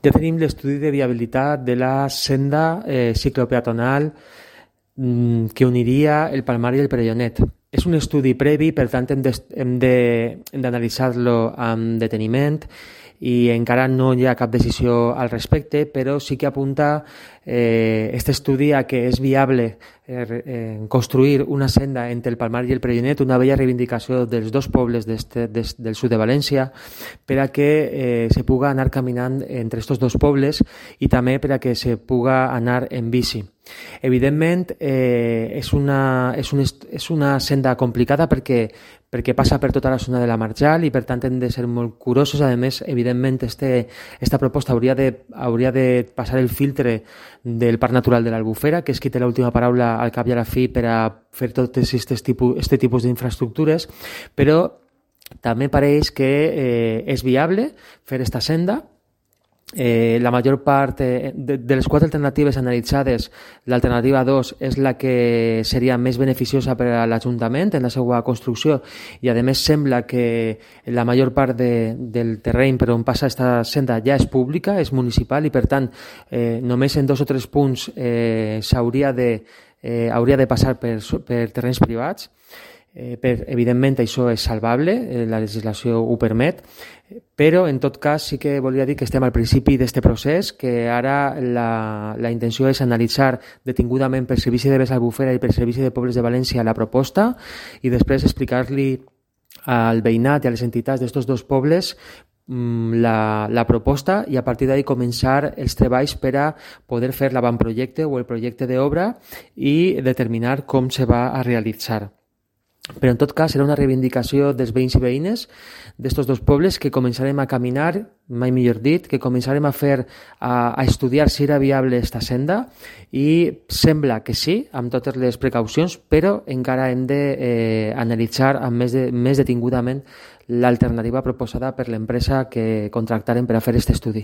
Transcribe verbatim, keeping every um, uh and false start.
ja tenim l'estudi de viabilitat de la senda eh, ciclopeatonal mm, que uniria el Palmar i el Perellonet. És un estudi previ, per tant hem d'analitzar-lo amb deteniment i encara no hi ha cap decisió al respecte, però sí que apunta eh, este estudi a que és viable eh, eh, construir una senda entre el Palmar i el Perellonet, una bella reivindicació dels dos pobles des, del sud de València, per a que eh, se puga anar caminant entre aquests dos pobles i també per a que se puga anar en bici. Evidentment, eh, és, una, és, un, és una senda complicada perquè, perquè passa per tota la zona de la Marjal i per tant hem de ser molt curosos. A més, evidentment, este, esta proposta hauria de, hauria de passar el filtre del Parc Natural de l'Albufera, que és qui té l'última paraula al cap i a la fi per a fer tot aquest tipus, este tipus d'infraestructures, però també pareix que eh, és viable fer esta senda. Eh, la major part eh, de, de les quatre alternatives analitzades, l'alternativa dos és la que seria més beneficiosa per a l'Ajuntament en la seva construcció i a més sembla que la major part de, del terreny per on passa aquesta senda ja és pública, és municipal i per tant eh, només en dos o tres punts eh, s'hauria de, eh, hauria de passar per, per terrenys privats. Eh, per, evidentment això és salvable, eh, la legislació ho permet, però en tot cas sí que volia dir que estem al principi d'aquest procés, que ara la, la intenció és analitzar detingudament per Servici de Bes Albufera i per Servici de Pobles de València la proposta i després explicar-li al veïnat i a les entitats d'aquests dos pobles La, la proposta i a partir d'ahí començar els treballs per a poder fer l'avantprojecte o el projecte d'obra i determinar com se va a realitzar. Però en tot cas serà una reivindicació dels veïns i veïnes d'estos dos pobles que començarem a caminar, mai millor dit, que començarem a fer, a, a estudiar si era viable esta senda i sembla que sí, amb totes les precaucions, però encara hem d'analitzar eh, amb més, de, més detingudament l'alternativa proposada per l'empresa que contractarem per a fer aquest estudi.